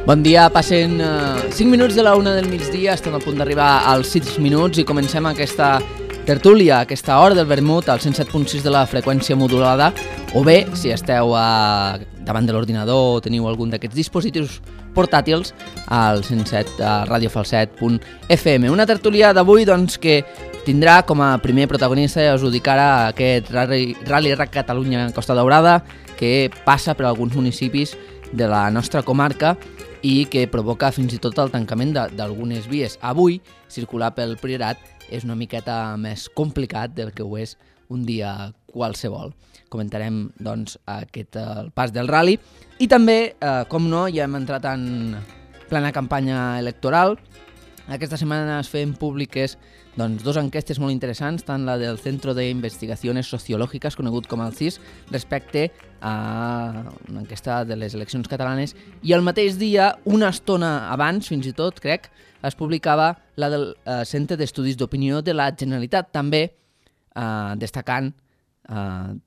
Bon dia, passen 5 minuts de la 1 del migdia, estem a punt d'arribar als 6 minuts i comencem aquesta tertúlia, aquesta hora del vermut al 107.6 de la freqüència modulada, o bé, si esteu davant de l'ordinador o teniu algun d'aquests dispositius portàtils, al 107 radiofalset.fm. Una tertúlia d'avui doncs, que tindrà com a primer protagonista, ja us ho dic ara, aquest Rally Rac Catalunya Costa Daurada, que passa per alguns municipis de la nostra comarca i que provoca fins i tot el tancament d'algunes vies. Avui, circular pel Priorat és una miqueta més complicat del que ho és un dia qualsevol. Comentarem, doncs, el pas del rally i també, com no, ja hem entrat en plena campanya electoral. Aquesta setmana es feien públiques dos enquestes molt interessants, tant la del Centro de Investigaciones Sociológicas, conegut com el CIS, respecte a una enquesta de les eleccions catalanes, i el mateix dia, una estona abans, fins i tot, crec, es publicava la del Centre d'Estudis d'Opinió de la Generalitat, també destacant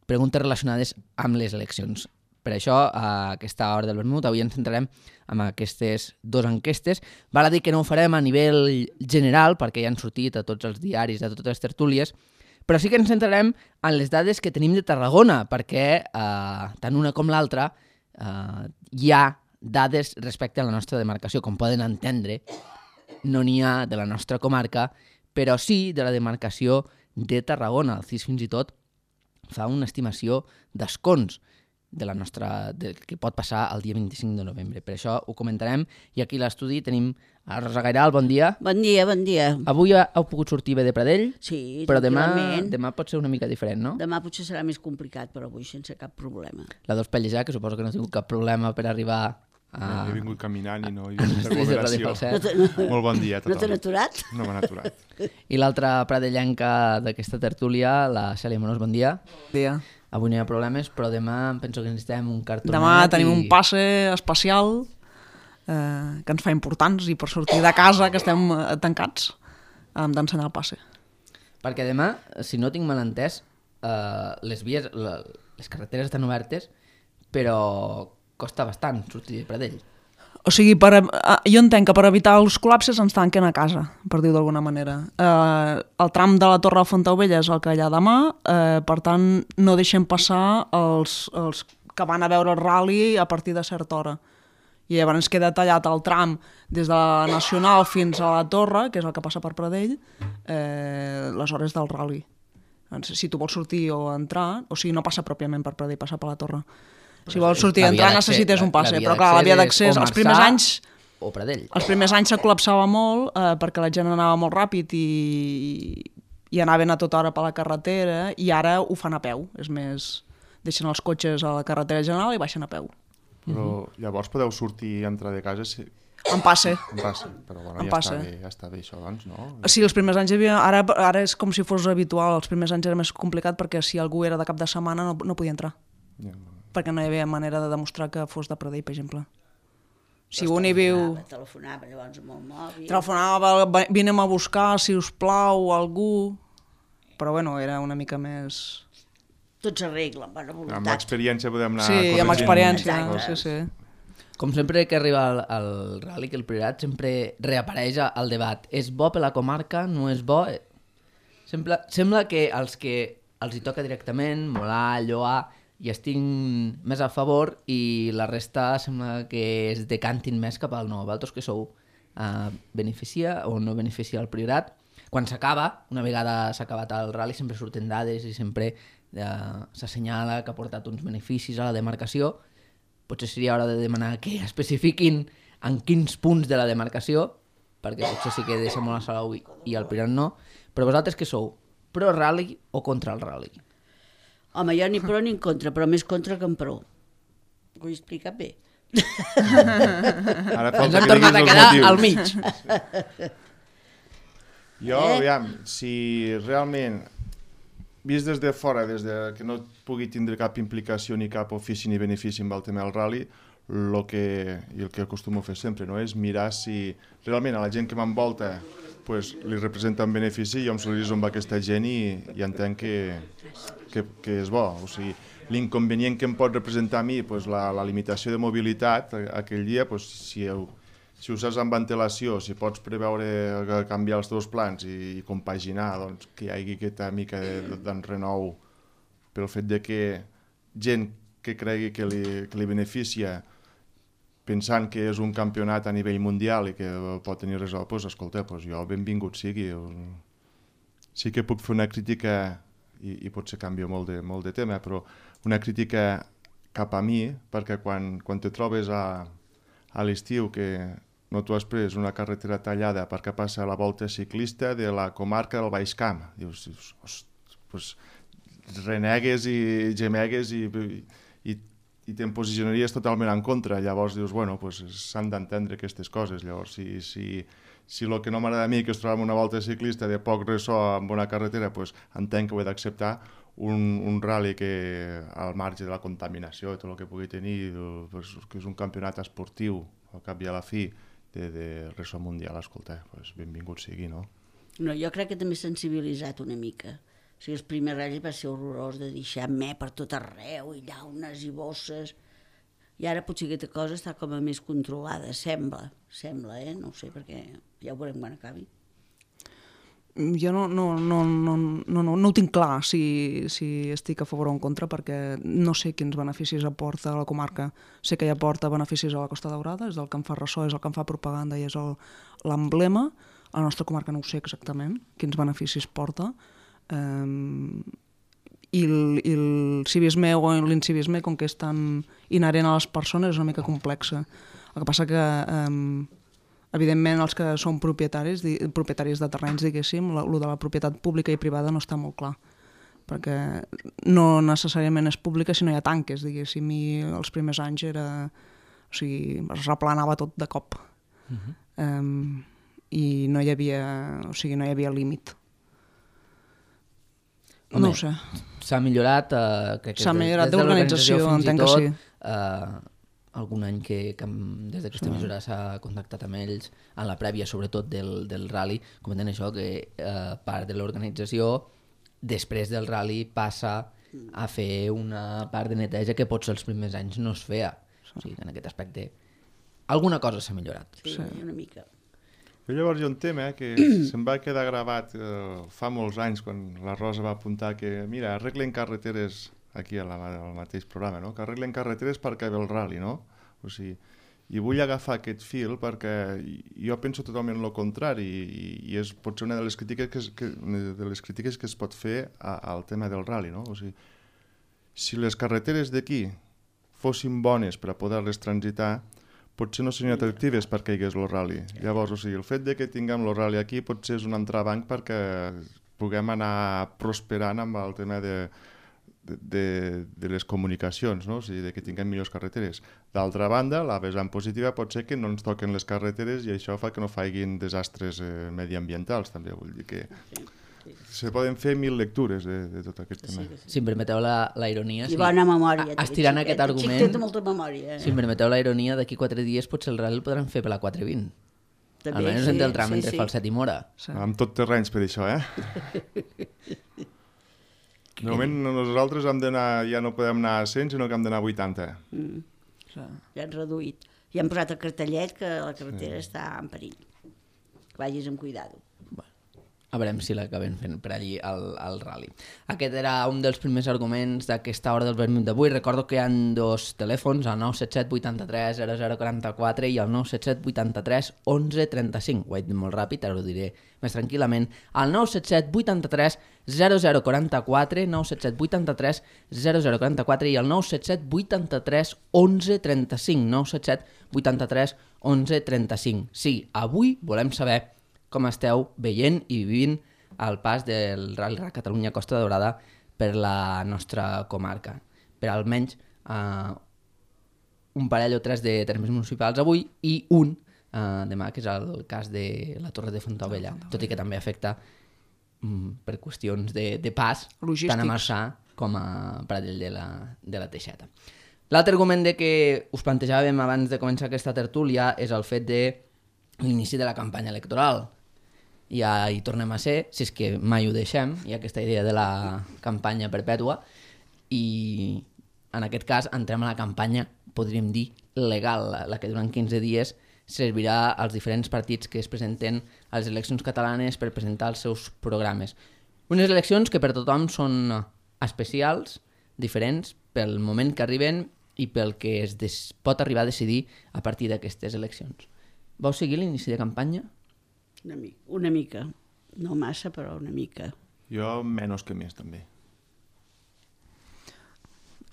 preguntes relacionades amb les eleccions. Per això, a aquesta hora del vermut, avui ens centrarem en aquestes dues enquestes. Val a dir que no ho farem a nivell general, perquè ja han sortit a tots els diaris, a totes les tertúlies, però sí que ens centrarem en les dades que tenim de Tarragona, perquè tant una com l'altra hi ha dades respecte a la nostra demarcació. Com poden entendre, no n'hi ha de la nostra comarca, però sí de la demarcació de Tarragona. El CIS fins i tot fa una estimació d'escons del que pot passar el dia 25 de novembre. Per això ho comentarem, i aquí a l'estudi tenim a Rosa Gairal. Bon dia. Bon dia, bon dia. Avui heu pogut sortir bé de Pradell? Sí, però demà pot ser una mica diferent, no? Demà potser serà més complicat, però avui sense cap problema. La Dos Pellejà, que suposo que no ha tingut cap problema per arribar a... No, he vingut caminant i no hi ha aglomeració. Molt bon dia a tothom. No t'han aturat? No m'han aturat. I l'altra pradellenca d'aquesta tertúlia, la Cèlia Monós, bon dia. Bon dia. Avui no hi ha problemes, però demà penso que necessitem un cartonet. Demà tenim un passe especial que ens fa importants, i per sortir de casa, que estem tancats, hem d'ensenyar el passe. Perquè demà, si no tinc mal entès, les vies, les carreteres estan obertes, però costa bastant sortir de Pradell. O sigui, jo entenc que per evitar els col·lapses ens tanquen a casa, per dir-ho d'alguna manera. El tram de la Torre de Fontaubella és el que hi ha demà, per tant no deixem passar els que van a veure el rally a partir de certa hora. I llavors queda tallat el tram des de la Nacional fins a la Torre, que és el que passa per Pradell, les hores del rally. Si tu vols sortir o entrar, o sigui, no passa pròpiament per Pradell, passa per la Torre. Si vols sortir i entrar necessites un passe, però clar, la via d'accés, els primers anys... O Pradell. Els primers anys se col·lapsava molt perquè la gent anava molt ràpid i anaven a tota hora per la carretera, i ara ho fan a peu, és més, deixen els cotxes a la carretera general i baixen a peu. Però llavors podeu sortir i entrar de casa si... En passe. En passe, però bueno, ja està bé això, doncs, no? Sí, els primers anys hi havia... Ara és com si fos habitual, els primers anys era més complicat perquè si algú era de cap de setmana no podia entrar. Perquè no hi havia manera de demostrar que fos de Pradell, per exemple. Si un hi viu... Telefonava llavors amb el mòbil. Telefonava, vinem a buscar, si us plau, algú... Però bueno, era una mica més... Tot s'arregla, amb bona voluntat. Amb l'experiència podem anar... Sí, amb experiència, sí. Com sempre que arriba el rally, que el Priorat sempre reapareix al debat. És bo per la comarca? No és bo? Sembla que els que els hi toca directament, molar, lloar, i estic més a favor, i la resta sembla que es decantin més cap al no. Vosaltres que sou, beneficia o no beneficia el Priorat? Quan s'acaba, una vegada s'ha acabat el rally, sempre surten dades i sempre s'assenyala que ha portat uns beneficis a la demarcació. Potser seria hora de demanar que especifiquin en quins punts de la demarcació, perquè potser sí que deixa molt a Salou i el Priorat no. Però vosaltres què sou? Pro rally o contra el rally? Home, jo ni pro ni en contra, però més contra que en pro. Ho he explicat bé. Ara ens hem tornat a quedar al mig. Jo, aviam, si realment, vist des de fora, des de que no pugui tindre cap implicació ni cap ofici ni benefici amb el tema del rally, el que acostumo a fer sempre, no? És mirar si realment a la gent que m'envolta li representa un benefici, jo em solidarizo amb aquesta gent i entenc que és bo. O sigui, l'inconvenient que em pot representar a mi, pues, la limitació de mobilitat aquell dia, pues, si ho saps amb antelació, si pots preveure canviar els teus plans i compaginar, doncs, que hi hagi aquesta mica d'enrenou pel fet de que gent que cregui que li beneficia pensant que és un campionat a nivell mundial i que pot tenir res, doncs, escolta, doncs jo benvingut sigui. Sí que puc fer una crítica, i potser canvio molt de tema, però una crítica cap a mi, perquè quan te trobes a l'estiu que no t'ho has pres una carretera tallada perquè passa la volta ciclista de la comarca del Baix Camp, dius pues, renegues i gemegues i te'n posicionaries totalment en contra. Llavors dius, bueno, pues s'han d'entendre aquestes coses. Llavors, si el que no m'agrada a mi que es troba en una volta ciclista de poc ressò amb una carretera, pues entenc que ho he d'acceptar. Un rally que al marge de la contaminació i tot el que pugui tenir, pues, que és un campionat esportiu, al cap i a la fi, de ressò mundial, escolta, pues benvingut sigui, no? No, jo crec que també s'ha sensibilitzat una mica. O sigui, els primers ratllis va ser horrorós de deixar me per tot arreu, i llaunes i bosses. I ara potser aquesta cosa està com a més controlada, sembla, no ho sé, perquè ja ho veurem quan acabi. Jo no ho tinc clar si estic a favor o en contra, perquè no sé quins beneficis aporta a la comarca. Sé que ja aporta beneficis a la Costa Daurada, és el que em fa ressò, és el que em fa propaganda i és l'emblema. A la nostra comarca no ho sé exactament quins beneficis porta. I el civisme o l'incivisme, com que és tan inherent a les persones, és una mica complexa. El que passa que evidentment els que són propietaris de terrenys, diguéssim, el de la propietat pública i privada no està molt clar, perquè no necessàriament és pública si no hi ha tanques, diguéssim, i els primers anys es replanava tot de cop. I no hi havia límit. Home, no ho sé. S'ha millorat, s'ha millorat d'organització, entenc que sí. Algun any que des d'aquesta emissora s'ha contactat amb ells, en la prèvia sobretot del rally, comenten això, que part de l'organització després del rally passa a fer una part de neteja que potser els primers anys no es feia. O sigui, en aquest aspecte alguna cosa s'ha millorat. Sí, una mica. I llavors hi ha un tema que se'm va quedar gravat fa molts anys, quan la Rosa va apuntar que, mira, arreglen carreteres, aquí al mateix programa, no? Que arreglen carreteres perquè ve el rally, no? O sigui, i vull agafar aquest fil perquè jo penso totalment el contrari i és potser una de les crítiques que es pot fer al tema del rally, no? O sigui, si les carreteres d'aquí fossin bones per a poder-les transitar, potser no serien atractives perquè hi hagués el rally. Llavors, o sigui, el fet de que tinguem el rally aquí potser és un entrebanc perquè puguem anar prosperant amb el tema de les comunicacions, no? O sigui, de que tinguem millors carreteres. D'altra banda, la vessant positiva pot ser que no ens toquen les carreteres i això fa que no faiguin desastres mediambientals, també. Vull dir que se poden fer 1000 lectures de tot aquest tema. Si em permeteu la ironia... I bona memòria. Estirant aquest argument... Té molta memòria. Si em permeteu la ironia, d'aquí 4 dies potser el rally el podran fer per la 420. També, almenys entre el tram entre Falset i Mora. Amb tot terrenys per això, De moment nosaltres ja no podem anar a 100, sinó que hem d'anar a 80. Ja han reduït. I han posat el cartellet que la carretera està en perill. Que vagis amb cuidado. A veurem si l'acabem fent per allí al rally. Aquest era un dels primers arguments d'aquesta hora del vermut d'avui. Recordo que hi ha 2 telèfons, el 977 83 0044 i el 977 83 11 35. Ho he dit molt ràpid, ara ho diré més tranquil·lament. El 977 83 0044, 977 83 0044 i el 977 83 11 35. 977 83 11 35. Sí, avui volem saber com esteu veient i vivint el pas del Rally Rac Catalunya Costa Daurada per la nostra comarca. Per almenys un parell o 3 de termes municipals avui i un demà, que és el cas de la Torre de Fontaubella, tot i que també afecta per qüestions de pas logístics, tant a Marçà com a Pradell de la Teixeta. L'altre argument que us plantejàvem abans de començar aquesta tertúlia és el fet de l'inici de la campanya electoral. Ja hi tornem a ser, si és que mai ho deixem, hi ha aquesta idea de la campanya perpètua, i en aquest cas entrem a la campanya, podríem dir, legal, la que durant 15 dies servirà als diferents partits que es presenten a les eleccions catalanes per presentar els seus programes. Unes eleccions que per tothom són especials, diferents, pel moment que arriben i pel que pot arribar a decidir a partir d'aquestes eleccions. Vau seguir l'inici de campanya? Una mica. No massa, però una mica. Jo menys que més, també.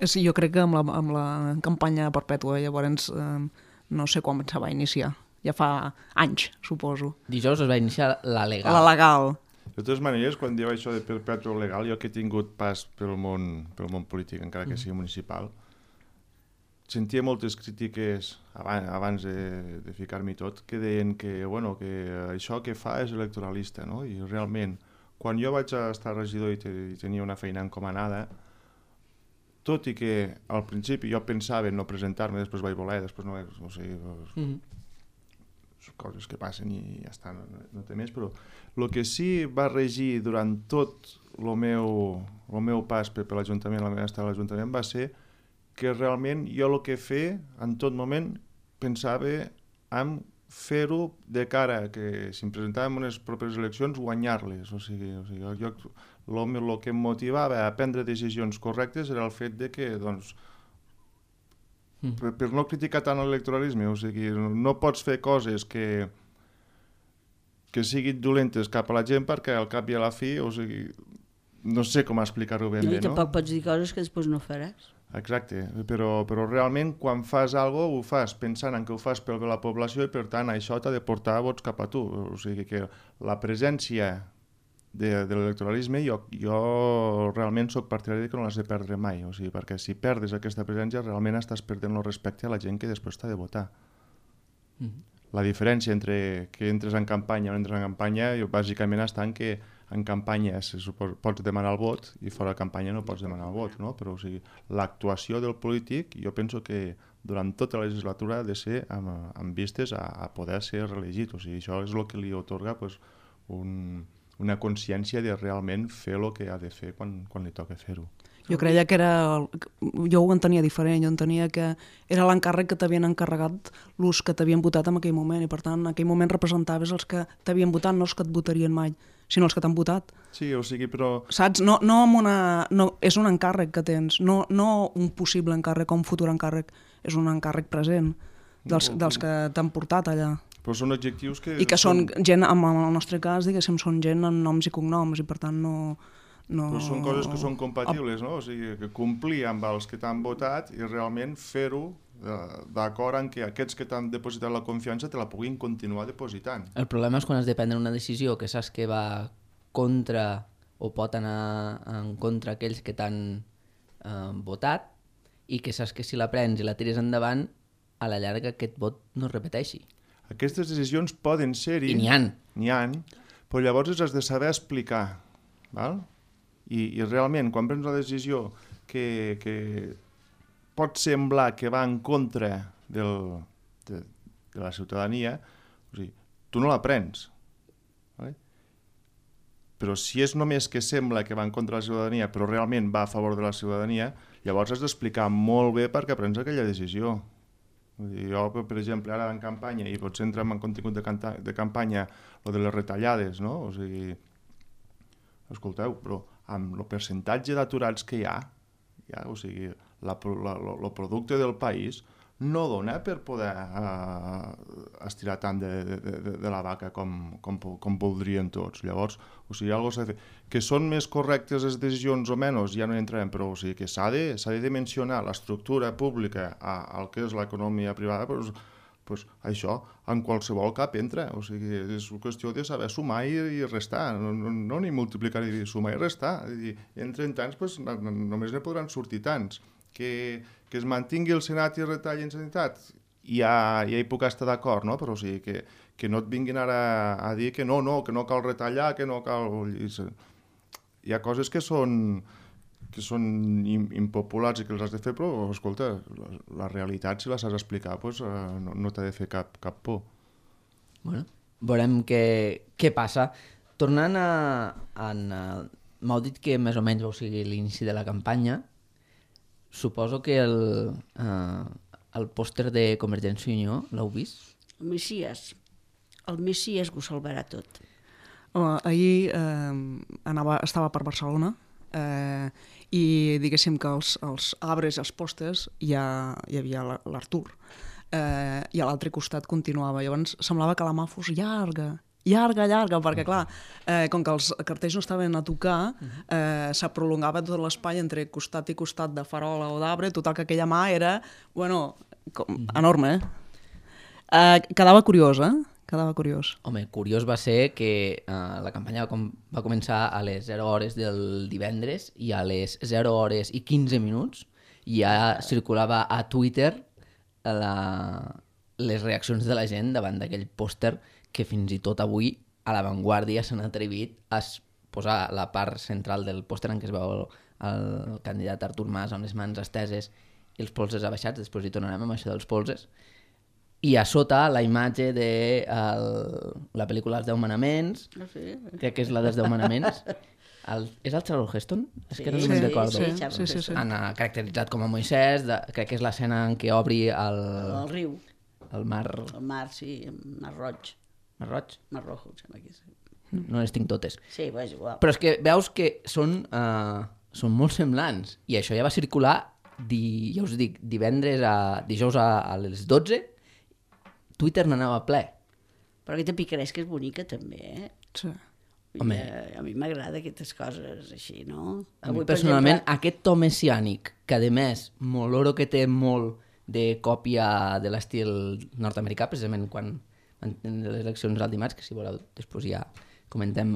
Sí, jo crec que amb la campanya perpètua, llavors no sé quan se va iniciar. Ja fa anys, suposo. Dijous es va iniciar la legal. La legal. De totes maneres, quan diu això de perpètua legal, jo que he tingut pas pel món polític, encara que sigui municipal, sentia moltes crítiques abans de ficar-m'hi tot, que deien que això que fa és electoralista, no? I realment, quan jo vaig estar regidor i tenia una feina encomanada, tot i que al principi jo pensava en no presentar-me, després vaig voler, després no sé, coses que passen i ja està, no té més, però el que sí va regir durant tot el meu pas per l'Ajuntament, la meva estada a l'Ajuntament, va ser que realment jo el que fer en tot moment pensava en fer-ho de cara que si em presentàvem unes properes eleccions guanyar-les, o sigui el que em motivava a prendre decisions correctes era el fet de que per no criticar tant l'electoralisme, o sigui, no pots fer coses que siguin dolentes cap a la gent perquè al cap i a la fi, o sigui, no sé com explicar-ho ben bé, no? I tampoc pots dir coses que després no faràs. Exacte, però realment quan fas alguna cosa ho fas pensant en que ho fas pel bé de la població i per tant això t'ha de portar vots cap a tu, o sigui que la presència de l'electoralisme jo realment soc partidari que no l'has de perdre mai, o sigui, perquè si perdes aquesta presència realment estàs perdent el respecte a la gent que després t'ha de votar. La diferència entre que entres en campanya o no entres en campanya bàsicament està en que en campanya pots demanar el vot i fora de campanya no pots demanar el vot, no? Però o sigui, l'actuació del polític jo penso que durant tota la legislatura ha de ser amb vistes a poder ser reelegit, o sigui, això és el que li atorga una consciència de realment fer el que ha de fer quan li toca fer-ho. Jo creia que jo ho entenia diferent, jo entenia que era l'encàrrec que t'havien encarregat els que t'havien votat en aquell moment i per tant en aquell moment representaves els que t'havien votat, no els que et votarien mai, sinó els que t'han votat. Sí, o sigui, però... Saps? No és un encàrrec que tens, no un possible encàrrec o un futur encàrrec, és un encàrrec present dels que t'han portat allà. Però són objectius que... I que són gent, en el nostre cas, diguéssim, són gent amb noms i cognoms i per tant no... Però són coses que són compatibles, no? O sigui, que complir amb els que t'han votat i realment fer-ho d'acord en que aquests que t'han depositat la confiança te la puguin continuar depositant. El problema és quan has de prendre una decisió que saps que va contra o pot anar en contra aquells que t'han votat i que saps que si la prens i la tires endavant, a la llarga aquest vot no es repeteixi. Aquestes decisions poden ser-hi... I n'hi ha. N'hi ha, però llavors has de saber explicar, val? I realment, quan prens una decisió que pot semblar que va en contra de la ciutadania, o sigui, tu no la prens. Vale? Però si és només que sembla que va en contra de la ciutadania, però realment va a favor de la ciutadania, llavors has d'explicar molt bé per què prens aquella decisió. Jo, per exemple, ara en campanya, i potser entrem en contingut de campanya, o de les retallades, no? O sigui, escolteu, però amb el percentatge d'aturats que hi ha, o sigui, el producte del país no dona per poder estirar tant de la vaca com voldrien tots. Llavors, o sigui, algo s'ha de fer. Que són més correctes les decisions o menys, ja no hi entrarem, però o sigui, que s'ha de dimensionar l'estructura pública al que és l'economia privada, pues això en qualsevol cap entra, o sigui, és qüestió de saber sumar i restar, no ni multiplicar ni sumar i restar, i entren tants, pues, només ne podran sortir tants. Que es mantingui el Senat i es retalli en sanitat, ja hi puc estar d'acord, no? Però o sigui, que no et vinguin ara a dir que no cal retallar, que no cal... Hi ha coses que són impopulars i que els has de fer, però, escolta, la realitat, si la saps explicar, pues, no t'ha de fer cap por. Bueno, veurem què passa. Tornant m'heu dit que més o menys vau seguir l'inici de la campanya. suposo que el pòster de Convergència i Unió l'heu vist? El Messias que ho salvarà tot. Ahir estava per Barcelona i diguéssim que els arbres i els pòsters hi havia l'Artur i a l'altre costat continuava. Llavors semblava que la mà fos llarga, perquè clar, com que els cartells no estaven a tocar, se prolongava tot l'espai entre costat i costat de farola o d'arbre, total que aquella mà era, enorme, Quedava curiós, Quedava curiós. Home, curiós va ser que la campanya va començar a les 0 hores del divendres i a les 0 hores i 15 minuts ja circulava a Twitter les reaccions de la gent davant d'aquell pòster que fins i tot avui a La Vanguardia s'han atrevit a posar la part central del pòster en què es veu el candidat Artur Mas amb les mans esteses i els polzes abaixats, després hi tornarem amb això dels polzes, i a sota la imatge de la pel·lícula Els 10 manaments, crec que és la dels 10 manaments, és el Charlton Heston? És que no me'n recordo. Sí. Caracteritzat com a Moisès, crec que és l'escena en què obri el riu. El mar... El mar, sí, el mar roig. Mar roig? Mar rojo, em sembla que és. No les tinc totes. Sí, és igual. Però és que veus que són molt semblants. I això ja va circular, ja us dic, dijous a les 12, Twitter n'anava ple. Però aquesta picaresca és bonica també, Sí. Home. A mi m'agrada aquestes coses així, no? A mi personalment, aquest to messiànic, que a més, m'oloro que té molt de còpia de l'estil nord-americà, precisament quan van les eleccions al dimarts, que si voleu després ja comentem,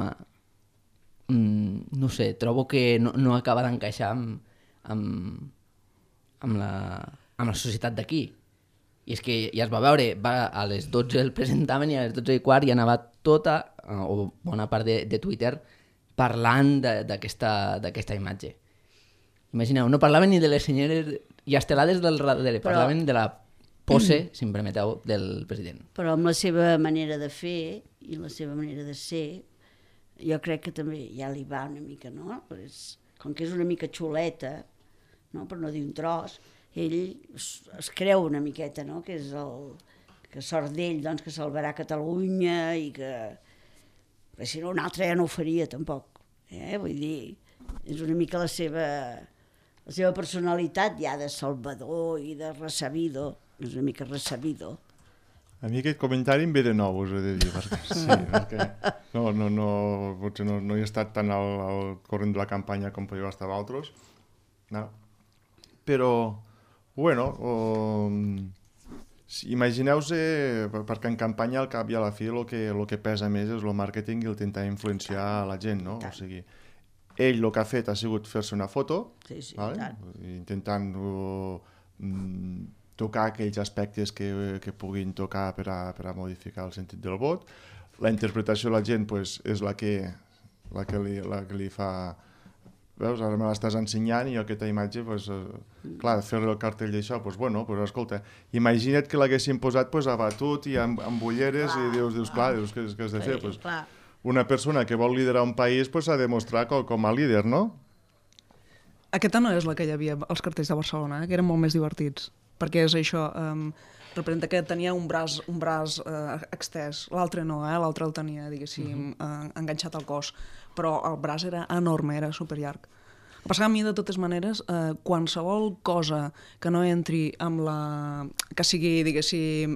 no sé, trobo que no acaba d'encaixar amb la societat d'aquí. I és que ja es va veure, a les 12 el presentaven i a les 12 i quart ja anava tota, o bona part de Twitter, parlant d'aquesta imatge. Imagineu, no parlaven ni de les senyores i estelades del darrere, parlaven de la pose, si em permeteu, del president. Però amb la seva manera de fer i la seva manera de ser, jo crec que també ja li va una mica, no? Com que és una mica xuleta, no? Per no dir un tros, ell es creu una miqueta, no? Que és que sort d'ell, doncs, que salvarà Catalunya i que si no un altre ja no ho faria tampoc. Vull dir, és una mica la seva personalitat ja de salvador i de ressabido, és una mica ressabido. A mi aquest comentari em ve de nou, us he de dir, perquè potser no he estat tan al corrent de la campanya com podeu estar vosaltres, no. Però, bueno, imagineu-vos, perquè en campanya al cap i a la fi el que pesa més és el màrqueting i el tentar influenciar la gent, no? O sigui, ell el que ha fet ha sigut fer-se una foto, vale? Intentant tocar aquells aspectes que puguin tocar per a modificar el sentit del vot. La interpretació de la gent pues, és la que li fa... Veus, ara me l'estàs ensenyant i aquesta imatge, pues, clar, fer-li el cartell d'això, pues, bueno, pues, escolta, imagina't que l'haguessin posat pues, abatut i amb ulleres i dius, clar, què has de fer? Pues, una persona que vol liderar un país pues, ha de mostrar com a líder, no? Aquesta no és la que hi havia als cartells de Barcelona, que eren molt més divertits, perquè és això, representa que tenia un braç extès, l'altre no, l'altre el tenia, diguéssim, enganxat al cos, però el braç era enorme, era superllarg. El que passa que a mi, de totes maneres, qualsevol cosa que no entri amb que sigui, diguéssim,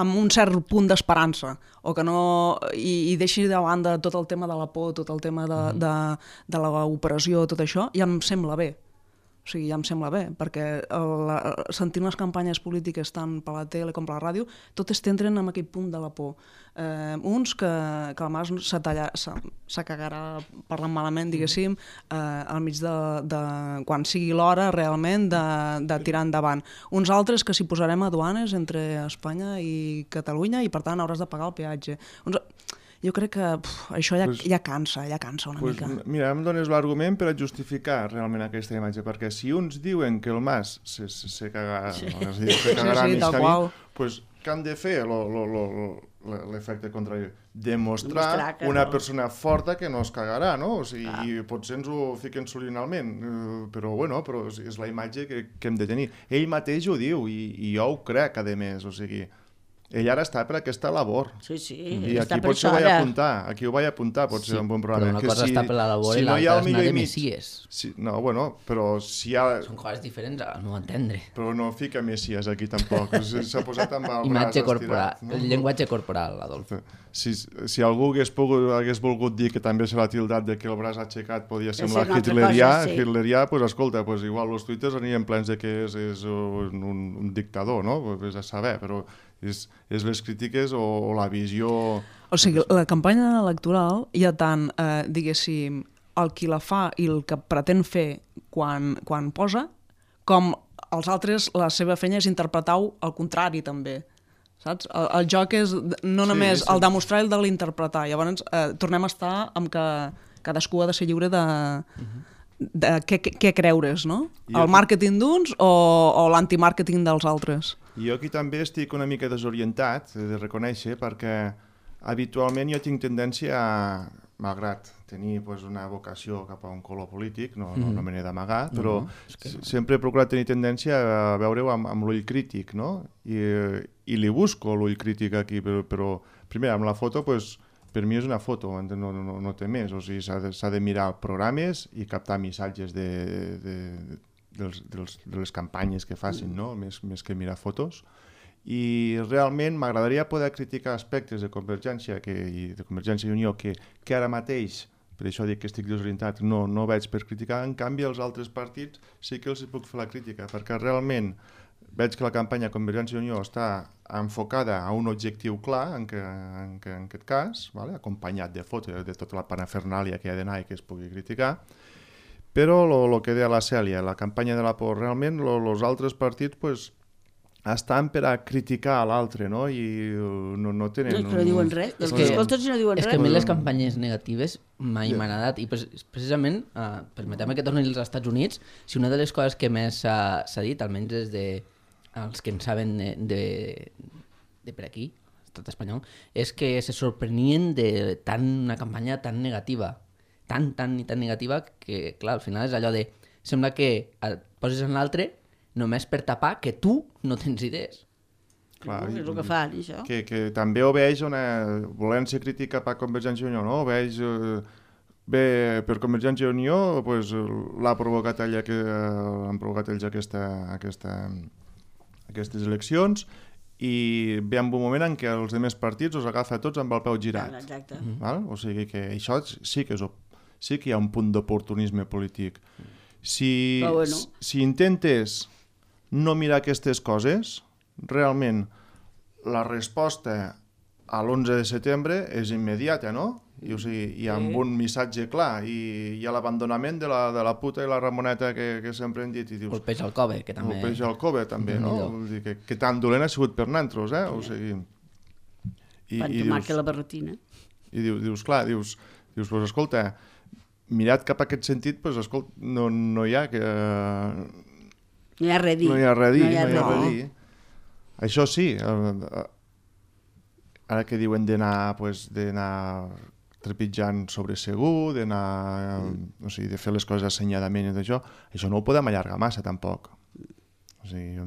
amb un cert punt d'esperança, o que no... i deixi de banda tot el tema de la por, tot el tema de l'operació, tot això, ja em sembla bé. O sigui, ja em sembla bé, perquè sentint les campanyes polítiques tant per la tele com per la ràdio, totes t'entren en aquell punt de la por. Uns que el Mas se cagarà parlant malament, diguéssim, al mig de quan sigui l'hora realment de tirar endavant. Uns altres que s'hi posarem a duanes entre Espanya i Catalunya i per tant hauràs de pagar el peatge. Jo crec que això ja cansa una mica. Mira, em dones l'argument per a justificar realment aquesta imatge, perquè si uns diuen que el Mas se cagarà mig camí, doncs què han de fer? l'efecte contrari. Demostrar que una no. persona forta que no es cagarà, no? O sigui, i potser ens ho fiquen subliminalment, però bueno, però és la imatge que hem de tenir. Ell mateix ho diu, i jo ho crec, a més, o sigui, ell ara està per aquesta labor. Sí, I està aquí per potser això aquí ho vaig apuntar, potser en un bon programa. Però una cosa està per la labor i no hi l'altra ha és el anar millor de i mig. messies. No, bueno, però si hi ha... Són coses diferents al meu entendre. Però no fica messies aquí tampoc, s'ha posat amb el Imatge braç corporal, estirat. el llenguatge corporal, Adolf. Si algú hagués volgut dir que també se l'ha tildat de que el braç aixecat podia semblar una altra hitlerià, cosa, sí. pues escolta, pues igual els tuiters anirien plens de que és un dictador, no? Pues a saber, però és les crítiques o la visió... O sigui, la campanya electoral hi ha tant, diguéssim, el qui la fa i el que pretén fer quan posa, com els altres, la seva feina és interpretar-ho al contrari, també. Saps? El joc és no només el de mostrar i el de l'interpretar. Llavors, tornem a estar amb que cadascú ha de ser lliure de què creure's, no? El màrqueting d'uns o l'antimàrqueting dels altres. I jo aquí també estic una mica desorientat, he de reconèixer, perquè habitualment jo tinc tendència a, malgrat tenir una vocació cap a un color polític, no me n'he d'amagar, però sempre he procurat tenir tendència a veure-ho amb l'ull crític, no? I li busco l'ull crític aquí, però primer, amb la foto, per mi és una foto, no té més, o sigui, s'ha de mirar programes i captar missatges de les campanyes que facin, no? Més que mirar fotos. I realment m'agradaria poder criticar aspectes de Convergència i de Convergència i Unió que ara mateix, per això dic que estic desorientat, no veig per criticar. En canvi, els altres partits sí que els puc fer la crítica, perquè realment veig que la campanya Convergència i Unió està enfocada a un objectiu clar, en aquest cas, acompanyat de fotos de tota la panafernàlia que hi ha d'anar i que es pugui criticar. Però el que deia la Cèlia, la campanya de la por, realment els altres partits estan per a criticar a l'altre, no? I no tenen... No diuen res, els que escoltes no diuen res. És que a mi les campanyes negatives mai m'han agradat, i precisament, permeteu-me que torni als Estats Units, si una de les coses que més s'ha dit, almenys des dels que en saben de per aquí, l'estat espanyol, és que se sorprenien de una campanya tan negativa, tan negativa, que clar, al final és allò de, sembla que et poses en l'altre només per tapar que tu no tens idees. Clar, És el que fan, això. Que també obeix volent ser crític cap a Convergència i Unió, no? Obeix bé per Convergència i Unió, l'ha provocat ella que han provocat ells aquestes eleccions, i ve en un moment en què els altres partits els agafa tots amb el peu girat. Exacte. O sigui que això sí que hi ha un punt d'oportunisme polític. Si intentes no mirar aquestes coses, realment la resposta a l'11 de setembre és immediata, no? I amb un missatge clar, i hi ha l'abandonament de la puta i la Ramoneta que sempre hem dit. O el peix al cove, que també... El peix al cove, també, no? Vull dir que tan dolent ha sigut per nantros, eh? O sigui... Quan tomar que la barretina. I dius, escolta, mirat cap a aquest sentit, escolta, no hi ha que... No hi ha res a dir. No hi ha res a dir. Això sí, ara que diuen d'anar trepitjant sobre segur, d'anar, de fer les coses assenyadament i d'això, això no ho podem allargar massa tampoc. O sigui,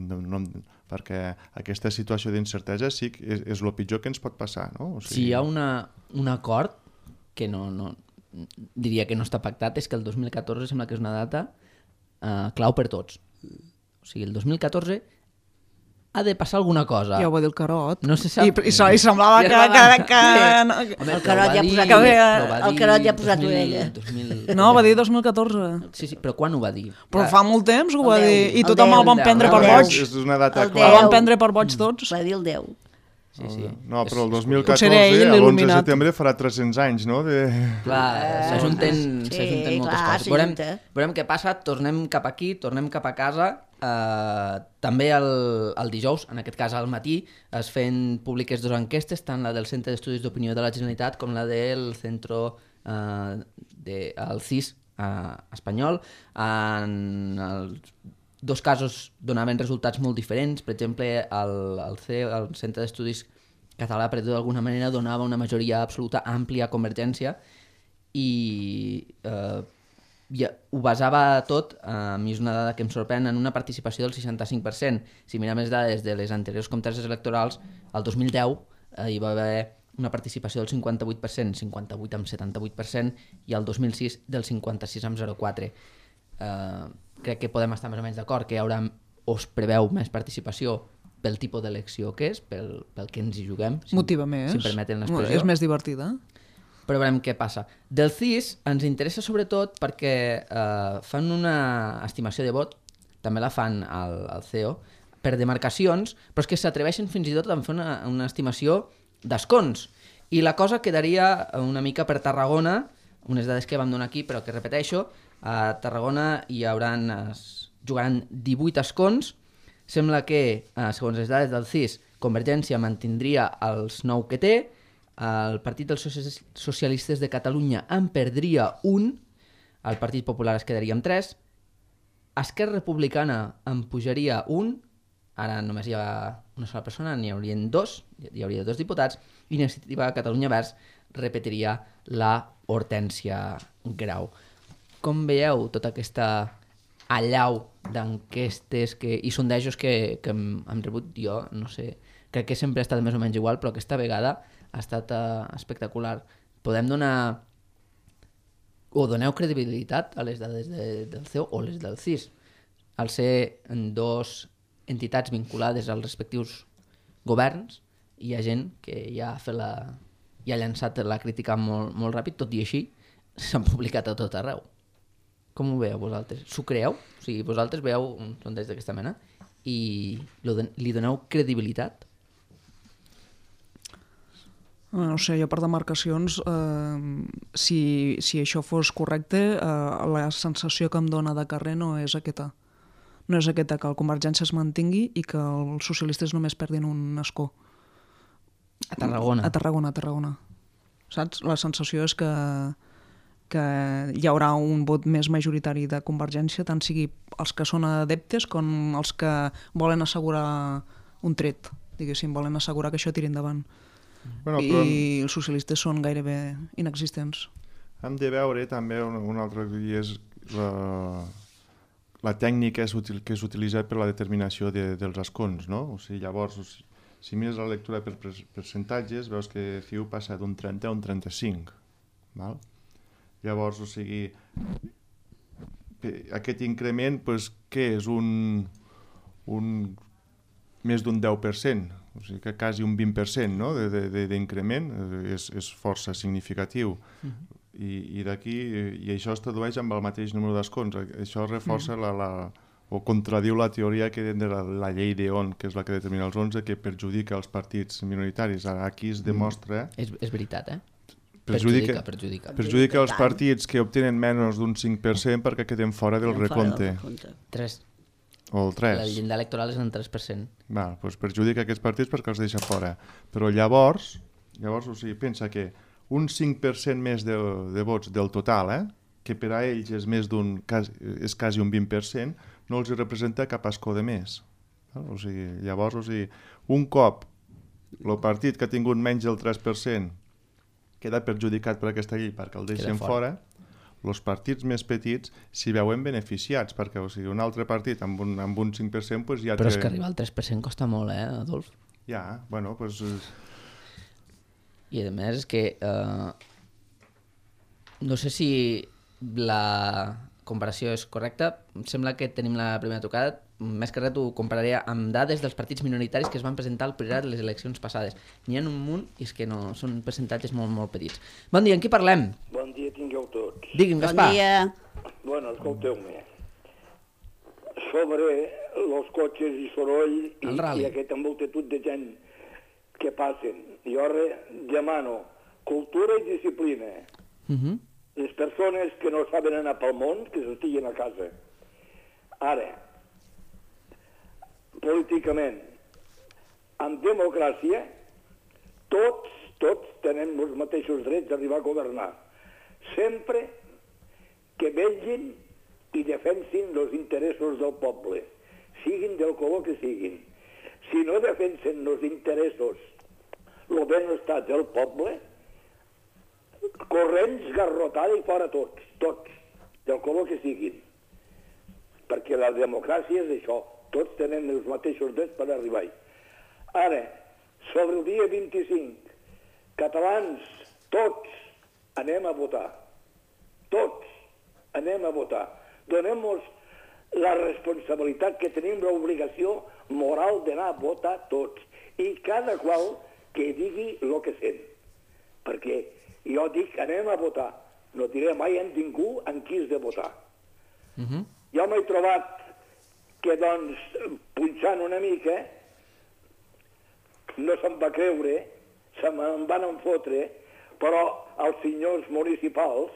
perquè aquesta situació d'incertesa sí que és el pitjor que ens pot passar, no? Si hi ha un acord que diria que no està pactat, és que el 2014 sembla que és una data clau per tots. O sigui, el 2014 ha de passar alguna cosa. Ja ho va dir el Carot. No se sap. I semblava que... El Carot ja ha posat l'orella. No, va dir 2014. Sí, però quan ho va dir? Però fa molt temps que ho va dir. I tothom el van prendre per boig. És una data clara. El van prendre per boig tots. Va dir el 10. Sí. No, però el 2014, l'11 de setembre, farà 300 anys, no? Clar, s'ajunten moltes coses. Veurem què passa, tornem cap aquí, tornem cap a casa. També el dijous, en aquest cas al matí, es feien públiques dues enquestes, tant la del Centre d'Estudis d'Opinió de la Generalitat com la del Centro el CIS espanyol. En els dos casos donaven resultats molt diferents. Per exemple, el Centre d'Estudis català, per dir d'alguna manera, donava una majoria absoluta àmplia a Convergència i ho basava tot, a mi és una dada que em sorprèn, en una participació del 65%. Si mirem les dades de les anteriors conteses electorals, el 2010 hi va haver una participació del 58%, 58 amb 78%, i el 2006 del 56,04%. Crec que podem estar més o menys d'acord que hi haurà, o es preveu més participació pel tipus d'elecció que és, pel que ens hi juguem, Motiva més. si em permeten l'expressió. És més divertida. Però veurem què passa. Del CIS ens interessa sobretot perquè fan una estimació de vot, també la fan al CEO, per demarcacions, però és que s'atreveixen fins i tot a fer una estimació d'escons. I la cosa quedaria una mica per Tarragona, unes dades que vam donar aquí, però que repeteixo, a Tarragona jugaran 18 escons. Sembla que, segons les dades del CIS, Convergència mantindria els 9 que té, el Partit dels Socialistes de Catalunya en perdria un, el Partit Popular es quedaria amb 3, Esquerra Republicana en pujaria un, ara només hi ha una sola persona, n'hi haurien 2, hi hauria 2 diputats, i Iniciativa Catalunya Verds repetiria la Hortènsia Grau. Com veieu tota aquesta allau d'enquestes i sondejos que hem rebut jo, no sé, crec que sempre ha estat més o menys igual, però aquesta vegada ha estat espectacular. Podem donar o doneu credibilitat a les dades del CEO o les del CIS. Al ser en 2 entitats vinculades als respectius governs, hi ha gent que ja ha llançat la crítica molt ràpid, tot i així s'han publicat a tot arreu. Com ho veieu vosaltres? S'ho creeu? O sigui, vosaltres veieu un sondeig d'aquesta mena i li doneu credibilitat? No sé, jo per demarcacions, si això fos correcte, la sensació que em dona de carrer no és aquesta. No és aquesta, que el Convergència es mantingui i que els socialistes només perdin un escó. A Tarragona. A Tarragona. Saps? La sensació és que hi haurà un vot més majoritari de Convergència, tant sigui els que són adeptes com els que volen assegurar un tret, diguéssim, volen assegurar que això tiri endavant. Bueno, I els socialistes són gairebé inexistents. Hem de veure també un altre dia és la tècnica que s'utilitza per la determinació dels escons, no? O sigui, llavors, si mires la lectura per percentatges, veus que CiU passa d'un 30 a un 35, val? Llavors, o sigui, aquest increment, doncs, què és? Més d'un 10%, o sigui que quasi un 20%, no? d'increment, és força significatiu. I d'aquí, i això es tradueix amb el mateix número d'escons. Això reforça o contradiu la teoria que de la llei d'Eon, que és la que determina els 11, que perjudica els partits minoritaris. Ara aquí es demostra... És veritat, eh? Perjudica els partits que obtenen menys d'un 5% perquè queden fora del recompte. 3. O el 3. La llindar electoral és en 3%. Doncs perjudica aquests partits perquè els deixa fora. Però llavors o sigui, pensa que un 5% més de vots del total, que per a ells és és quasi un 20%, no els representa cap escó de més. O sigui, llavors, un cop el partit que ha tingut menys del 3% queda perjudicat per aquesta llei perquè el deixen fora, els partits més petits s'hi veuen beneficiats, perquè un altre partit amb un 5% doncs ja té... Però és que arribar al 3% costa molt, Adolf? Ja, bueno, doncs... I a més és que no sé si la comparació és correcta, em sembla que tenim la primera tocada, més que res ho compararia amb dades dels partits minoritaris que es van presentar al Priorat de les eleccions passades. N'hi ha un munt i és que no, són percentatges molt, molt petits. Bon dia, amb qui parlem? Bon dia tingueu tots. Digui'm, Gaspar. Bon dia. Bueno, escolteu-me. Sobre els cotxes i soroll i aquesta multitud de gent que passen. Jo demano cultura i disciplina. Les persones que no saben anar pel món, que s'estiguin a casa. Ara, políticament, en democràcia, tots tenem els mateixos drets d'arribar a governar. Sempre que vetllin i defensin els interessos del poble, siguin del color que siguin. Si no defensen els interessos el benestar del poble, corrents, garrotada i fora tots, del color que siguin. Perquè la democràcia és això, tots tenen els mateixos drets per arribar-hi. Ara, sobre el dia 25, catalans, tots anem a votar. Tots anem a votar. Donem-nos la responsabilitat que tenim l'obligació moral d'anar a votar tots. I cada qual que digui el que sent. Perquè jo dic anem a votar. No diré mai a ningú en qui has de votar. Jo m'he trobat que, doncs, punxant una mica, no se'm va creure, se me'n van enfotre, però els senyors municipals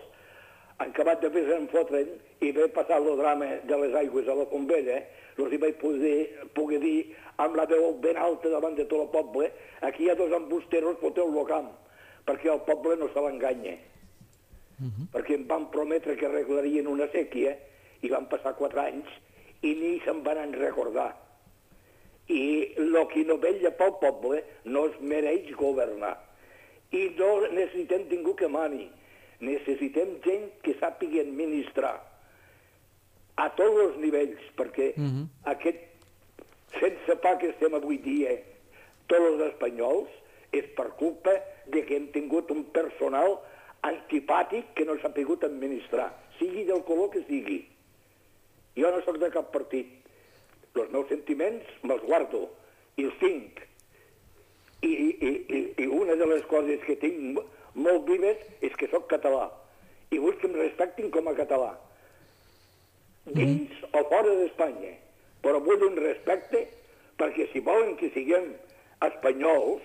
han acabat de fer-se'n fotre'n i vaig passar el drama de les aigües a la Fontbella, els hi vaig poder dir amb la veu ben alta davant de tot el poble, aquí hi ha dos embusteros, foteu-lo a camp, perquè el poble no se l'enganya. Perquè em van prometre que arreglarien una sèquia i van passar 4 anys i ni se'n van recordar. I el que no vetlla pel poble no es mereix governar. I no necessitem ningú que mani. Necessitem gent que sàpiga administrar a tots els nivells, perquè aquest sense pa que estem avui dia tots els espanyols és per culpa de que hem tingut un personal antipàtic que no s'ha pogut administrar, sigui del color que sigui. Jo no sóc de cap partit. Els meus sentiments me'ls guardo i els tinc. I una de les coses que tinc molt vives és que sóc català i vull que em respectin com a català. Dins o fora d'Espanya. Però vull un respecte perquè si volen que siguem espanyols,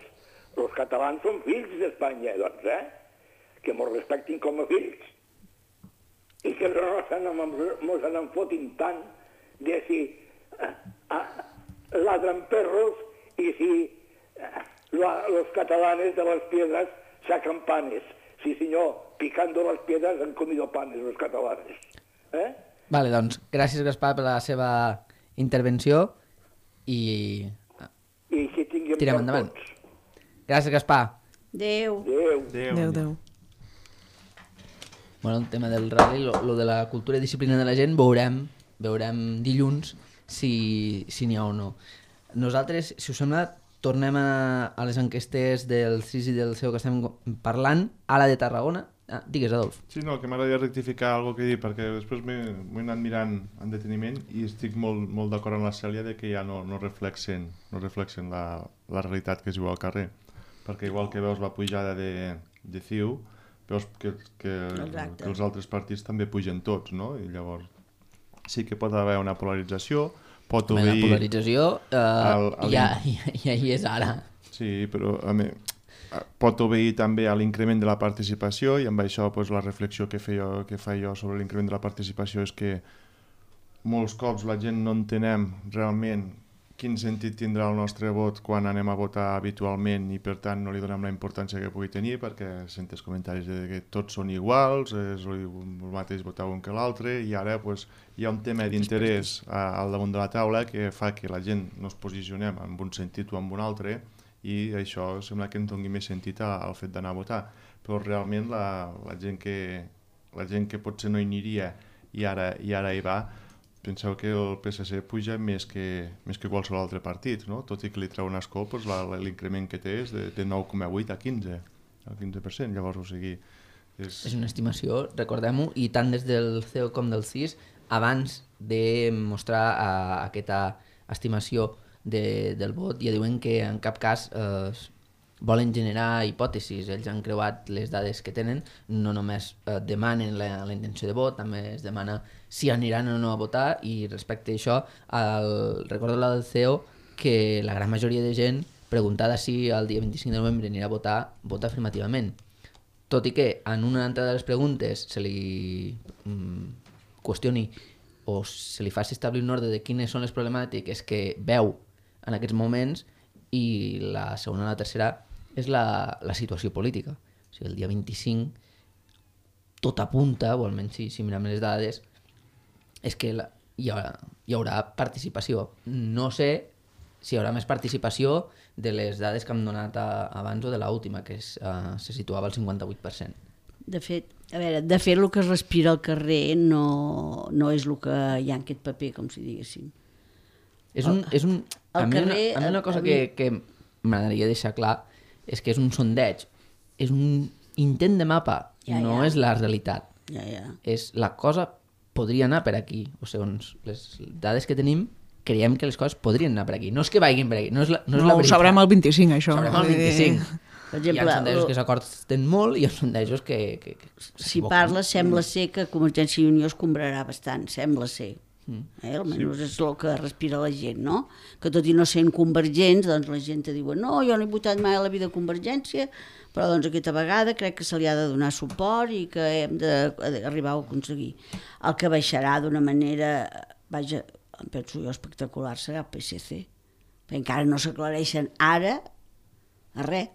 els catalans són fills d'Espanya, doncs, que mos respectin com a fills i que no mos n'enfotin tant de si ladran perros y si los catalanes de las piedras sacan panes. Sí, senyor, picando las piedras han comido panes los catalanes. Vale, doncs, gràcies, Gaspar, per la seva intervenció i que tinguem tirem endavant. Gràcies, Gaspar. Adéu. Adéu. Bueno, el tema del rally, lo de la cultura i disciplina de la gent, veurem dilluns si n'hi ha o no. Nosaltres, si us sembla, tornem a les enquestes del CIS i del CEO que estem parlant, a la de Tarragona. Digues, Adolf. Sí, no, que m'agradaria rectificar alguna que he dit, perquè després m'he anat mirant en deteniment i estic molt d'acord amb la Cèlia de que ja no reflexen la realitat que es viu al carrer. Perquè igual que veus la pujada de CiU, veus que els altres partits també pugen tots, no? I llavors sí que pot haver una polarització, pot obeir... La polarització ja hi és ara. Sí, però pot obeir també a l'increment de la participació i amb això la reflexió que fa jo sobre l'increment de la participació és que molts cops la gent no entenem realment quin sentit tindrà el nostre vot quan anem a votar habitualment i per tant no li donem la importància que pugui tenir perquè sentes comentaris de que tots són iguals, és el mateix votar un que l'altre i ara hi ha un tema d'interès al damunt de la taula que fa que la gent no es posicionem en un sentit o en un altre i això sembla que ens doni més sentit al fet d'anar a votar, però realment la gent que potser no hi aniria i ara hi va, penseu que el PSC puja més que qualsevol altre partit, no? Tot i que li treu un escó, l'increment que té és de 9,8 a 15, el 15%, llavors, o sigui... És una estimació, recordem-ho, i tant des del CEO com del CIS, abans de mostrar aquesta estimació del vot, ja diuen que en cap cas volen generar hipòtesis. Ells han creuat les dades que tenen, no només demanen la intenció de vot, també es demana si aniran o no a votar, i respecte a això, recordo la del CEO que la gran majoria de gent preguntada si el dia 25 de novembre anirà a votar, vota afirmativament. Tot i que en una altra de les preguntes se li qüestioni o se li faci establir un ordre de quines són les problemàtiques que veu en aquests moments, i la segona o la tercera és la situació política. O sigui, el dia 25 tot apunta, o almenys si mirem les dades, és que hi haurà participació. No sé hi haurà més participació de les dades que hem donat abans o de l'última, que se situava al 58%. De fet, el que es respira al carrer no és el que hi ha en aquest paper, com si diguéssim. A mi una cosa que m'agradaria deixar clar és que és un sondeig, és un intent de mapa, no és la realitat. És la cosa podria anar per aquí, o segons les dades que tenim, creiem que les coses podrien anar per aquí. No és que vagin per aquí, no és la veritat. Ho sabrem el 25, això. Ho sabrem el 25. Per exemple, hi ha sondejos que s'acorten molt i hi ha sondejos que si parles, sembla ser que Convergència i Unió es comprarà bastant, sembla ser. Almenys és el que respira la gent, no? Que tot i no sent convergents, doncs la gent te diu no, jo no he votat mai a la vida Convergència, però doncs aquesta vegada crec que se li ha de donar suport i que hem d'arribar a aconseguir. El que baixarà d'una manera, vaja, em penso jo, espectacular, serà el PSC. Perquè encara no s'aclareixen ara a res.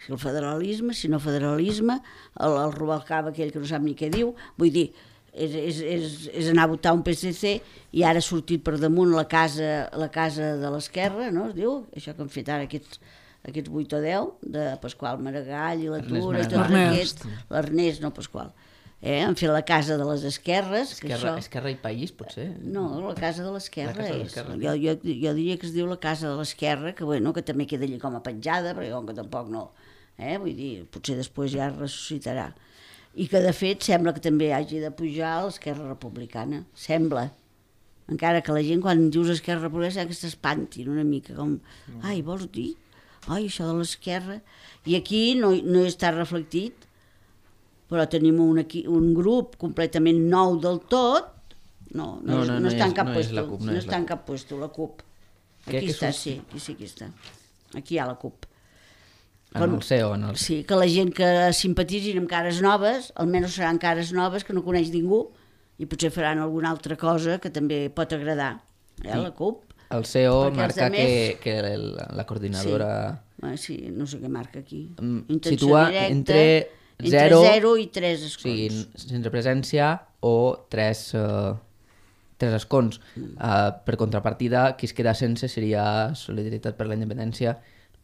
Si el federalisme, si no federalisme, el Rubalcaba aquell que no sap ni què diu, vull dir, és anar a votar un PSC i ara ha sortit per damunt la casa de l'esquerra, no? Es diu, això que han fet ara aquests 8 o 10, de Pasqual Maragall i la Tura, l'Ernest, no Pasqual. Han fet la casa de les esquerres. Esquerra i País, potser? No, la casa de l'esquerra és. Jo diria que es diu la casa de l'esquerra, que també queda allà com a penjada, perquè com que tampoc no... Vull dir, potser després ja es ressuscitarà. I que de fet sembla que també hagi de pujar l'Esquerra Republicana. Sembla. Encara que la gent quan dius Esquerra Republicana sembla que s'espantin una mica, com, ai, vols dir? Ai, això de l'esquerra... I aquí no està reflectit, però tenim un grup completament nou del tot, no està en cap puesto, no està en cap puesto, la CUP. Aquí està, sí, aquí està. Aquí hi ha la CUP. En el CEO, Sí, que la gent que simpatitzin amb cares noves, almenys seran cares noves que no coneix ningú i potser faran alguna altra cosa que també pot agradar, la CUP. El CEO marca que la coordinadora... Sí, no sé què marca aquí. Situa entre 0 i 3 escons. O sigui, sense presència o 3 escons. Per contrapartida, qui es queda sense seria Solidaritat per la Independència,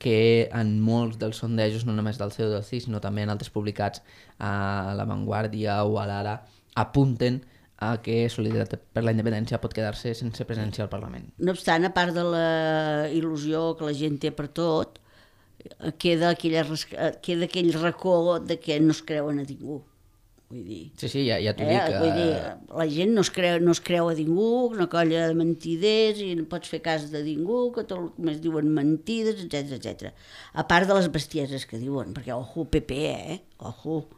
que en molts dels sondejos, no només del CEO del CIS, sinó també en altres publicats a La Vanguardia o a l'Ara, apunten a que Solidaritat per la Independència pot quedar-se sense presència al Parlament. No obstant, a part de la il·lusió que la gent té per tot, queda aquell racó de que no es creuen a ningú. Vull dir, sí, ja t'ho dic. Vull dir, la gent no es creu a ningú, una colla de mentiders i no pots fer cas de ningú, que tot només diuen mentides, etc. A part de les bestieses que diuen, perquè ojo, PP, ojo,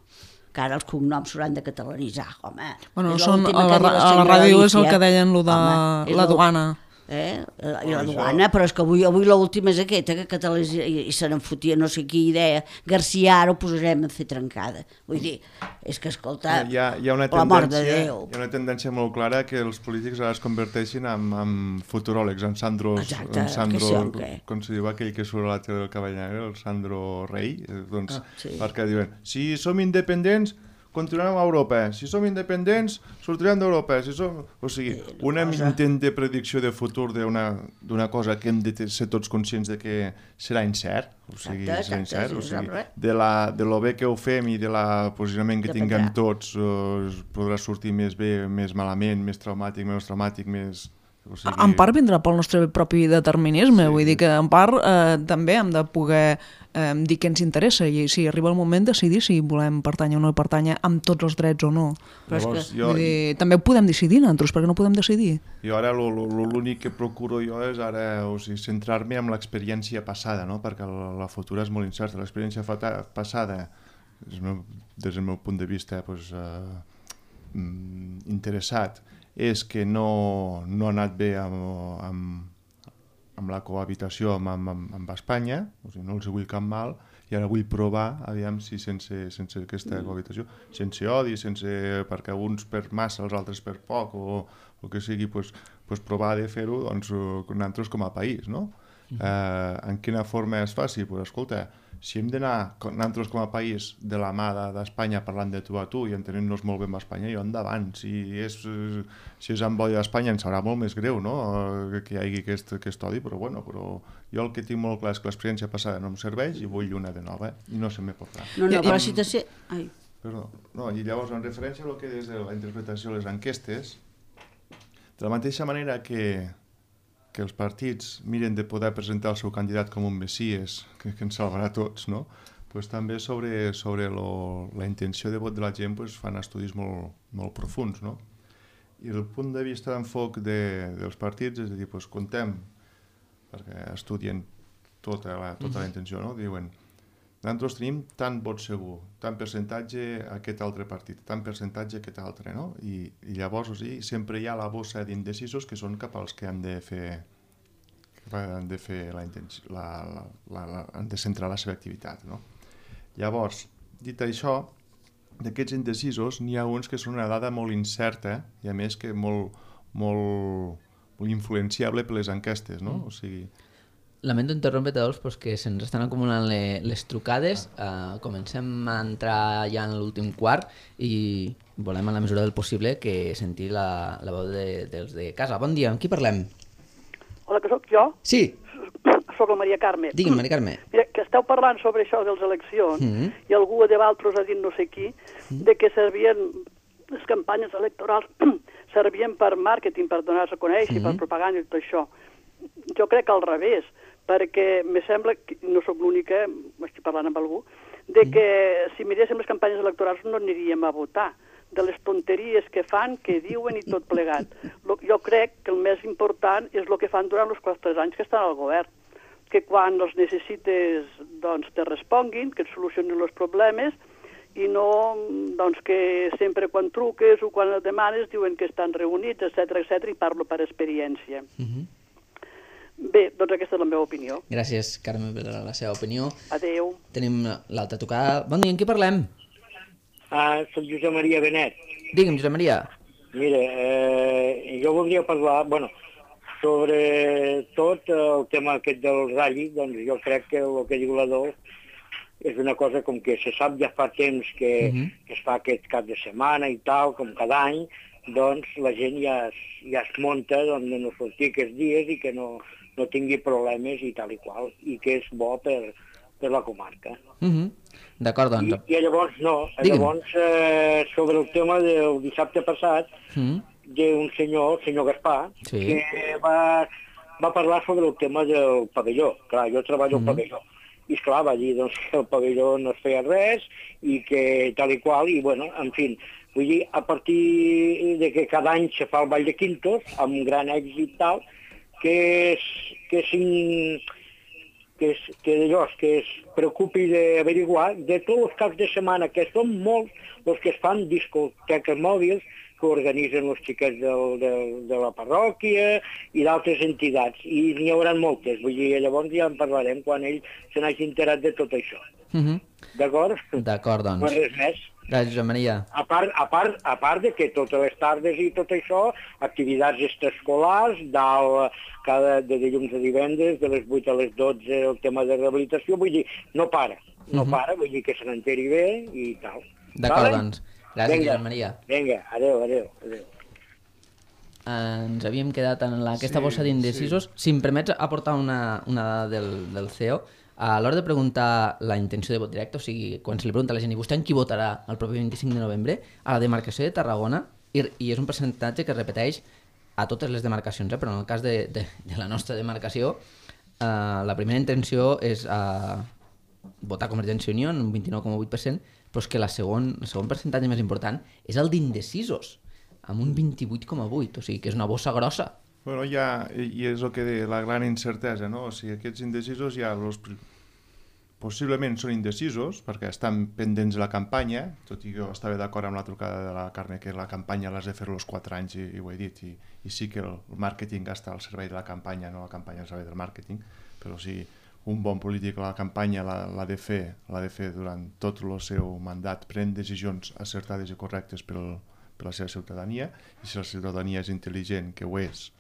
que ara els cognoms s'hauran de catalanitzar, home. Bueno, a la ràdio és el que deien lo de la duana. I la duana, però és que avui l'última és aquesta, que i se n'enfotia no sé qui idea, García ara ho posarem a fer trencada. Vull dir, és que, escolta, hi ha una l'amor de Déu. Hi ha una tendència molt clara que els polítics ara es converteixin en futuròlegs, en Sandro, com se diu aquell que surt a la tele del Cavall Negre, el Sandro Rey, doncs, perquè diuen, si som independents, continuarem a Europa, si som independents sortirem d'Europa, o sigui, un intent de predicció de futur d'una cosa que hem de ser tots conscients de que serà incert, o sigui, de lo bé que ho fem i de la posicionament que tinguem tots podrà sortir més bé, més malament, més traumàtic, menys traumàtic, més... En part vindrà pel nostre propi determinisme, vull dir que en part també hem de poder dir què ens interessa i si arriba el moment decidir si volem pertànyer o no pertànyer amb tots els drets o no. Vull dir, també ho podem decidir nosaltres, perquè no podem decidir. Jo ara l'únic que procuro jo és ara centrar-me en l'experiència passada, no? Perquè la futura és molt incerta. L'experiència passada, des del meu punt de vista interessat, és que no ha anat bé amb la cohabitació amb Espanya, o sigui, no els vull cap mal, i ara vull provar, aviam si sense aquesta cohabitació, sense odi, perquè uns per massa, els altres per poc, o que sigui, provar de fer-ho nosaltres com a país, no? En quina forma es faci? Escolta, si hem d'anar, nosaltres com a país, de la mà d'Espanya parlant de tu a tu i entenent-nos molt bé amb Espanya, jo endavant. Si és amb odi d'Espanya ens serà molt més greu, no?, que hi hagi aquest odi, però jo el que tinc molt clar és que l'experiència passada no em serveix i vull una de nova, i no se me podrà. No, però si t'ha... Ai. Perdó. No, i llavors, en referència a lo que és de la interpretació de les enquestes, de la mateixa manera que els partits miren de poder presentar el seu candidat com un messies que ens salvarà a tots, no? Pues també sobre la intenció de vot de la gent fan estudis molt profuns, no? I el punt de vista d'enfoc dels partits és a dir, contem, perquè estudien tota la intenció, no? Diuen, nosaltres tenim tant vot segur, tant percentatge aquest altre partit, tant percentatge aquest altre, no? I llavors, sempre hi ha la bossa d'indecisos que són cap als que han de centrar la seva activitat, no? Llavors, dit això, d'aquests indecisos n'hi ha uns que són una dada molt incerta i a més que molt influenciable per les enquestes, no? O sigui... Lamento interrompre, Adolf, però que se'ns estan acumulant les trucades. Comencem a entrar ja en l'últim quart i volem, en la mesura del possible, que sentir la veu dels de casa. Bon dia, amb qui parlem? Hola, que sóc jo? Sí. Soc la Maria Carme. Digui'm, Maria Carme. Mira, que esteu parlant sobre això de les eleccions i algú de Valtros ha dit no sé qui, de que servien les campanyes electorals servien per màrqueting, per donar-se a conèixer, per propaganda i tot això. Jo crec que al revés, perquè me sembla, que no sóc l'única, estic parlant amb algú, de que si miréssim les campanyes electorals no aniríem a votar, de les tonteries que fan, que diuen i tot plegat. Jo crec que el més important és el que fan durant els 4 anys que estan al govern, que quan els necessites doncs, te responguin, que et solucionin els problemes i no doncs, que sempre quan truques o quan et demanes diuen que estan reunits, etc i parlo per experiència. Bé, doncs aquesta és la meva opinió. Gràcies, Carme, per la seva opinió. Adéu. Tenim l'altra tocada. Bon dia, amb qui parlem? Soc Josep Maria Benet. Digue'm, Josep Maria. Mira, jo voldria parlar, sobre tot el tema aquest del ratll, doncs jo crec que el que diu l'Adolf és una cosa com que se sap ja fa temps que es fa aquest cap de setmana i tal, com cada any, doncs la gent ja es munta de no sortir aquests dies i que no tingui problemes i tal i qual, i que és bo per la comarca. D'acord, doncs. I llavors, sobre el tema del dissabte passat, d'un senyor, el senyor Gaspar, que va parlar sobre el tema del pavelló. Clar, jo treballo al pavelló. I esclar, va dir que el pavelló no es feia res i que tal i qual, i en fi, vull dir, a partir de que cada any se fa el Ball de Quintos, amb un gran èxit tal, que es preocupi d'averiguar de tots els caps de setmana, que són molts els que es fan discoteques mòbils, que organitzen els xiquets de la parròquia i d'altres entitats, i n'hi haurà moltes, vull dir, llavors ja en parlarem quan ell se n'hagi enterat de tot això. D'acord? D'acord, doncs. No res més. Gràcies, Josep Maria. A part de que totes les tardes i tot això, activitats extraescolars, de dilluns a divendres, de les 8 a les 12, el tema de rehabilitació, vull dir, no para, vull dir que se n'enteri bé i tal. D'acord, doncs. Gràcies, Josep Maria. Vinga, adéu. Ens havíem quedat en aquesta bossa d'indecisos. Si em permets aportar una dada del CEO, a l'hora de preguntar la intenció de vot directe, o sigui, quan se li pregunta a la gent i vostè en qui votarà el proper 25 de novembre, a la demarcació de Tarragona, i és un percentatge que es repeteix a totes les demarcacions, però en el cas de la nostra demarcació, la primera intenció és votar Convergència i Unió en un 29,8%, però és que el segon percentatge més important és el d'indecisos, amb un 28,8%, o sigui que és una bossa grossa. Bueno, i és el que de la gran incertesa, no? O sigui, aquests indecisos ja possiblement són indecisos perquè estan pendents de la campanya, tot i que jo estava d'acord amb la trucada de la Carme que la campanya l'has de fer els 4 anys i ho he dit, i sí que el màrqueting està al servei de la campanya, no la campanya al servei del màrqueting, però sí, un bon polític la campanya l'ha de fer durant tot el seu mandat, prenent decisions acertades i correctes per la seva ciutadania, i si la ciutadania és intel·ligent, que ho és,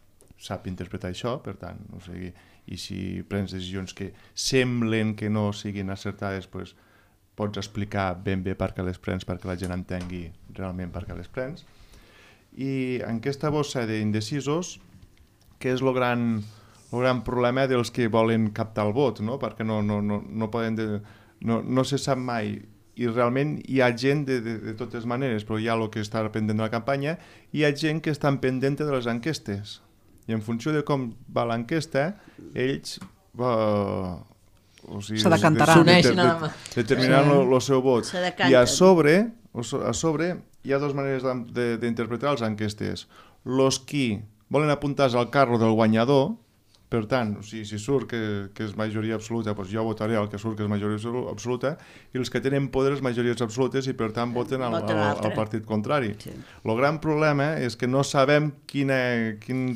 sap interpretar això, per tant, o sigui, i si prens decisions que semblen que no siguin acertades, doncs pots explicar ben bé per què les prens, perquè la gent entengui realment per què les prens. I en aquesta bossa d'indecisos, que és el gran problema dels que volen captar el vot, no? Perquè no se sap mai. I realment hi ha gent de totes maneres, però hi ha el que està pendent de la campanya, i hi ha gent que estan pendent de les enquestes. I en funció de com va l'enquesta, ells se decantaran. Determinaran el seu vot. I a sobre hi ha dues maneres d'interpretar les enquestes. Los qui volen apuntar-se al carro del guanyador, per tant, si surt que és majoria absoluta, doncs jo votaré el que surt que és majoria absoluta, i els que tenen poder és majories absolutes i per tant voten al partit contrari. El gran problema és que no sabem quin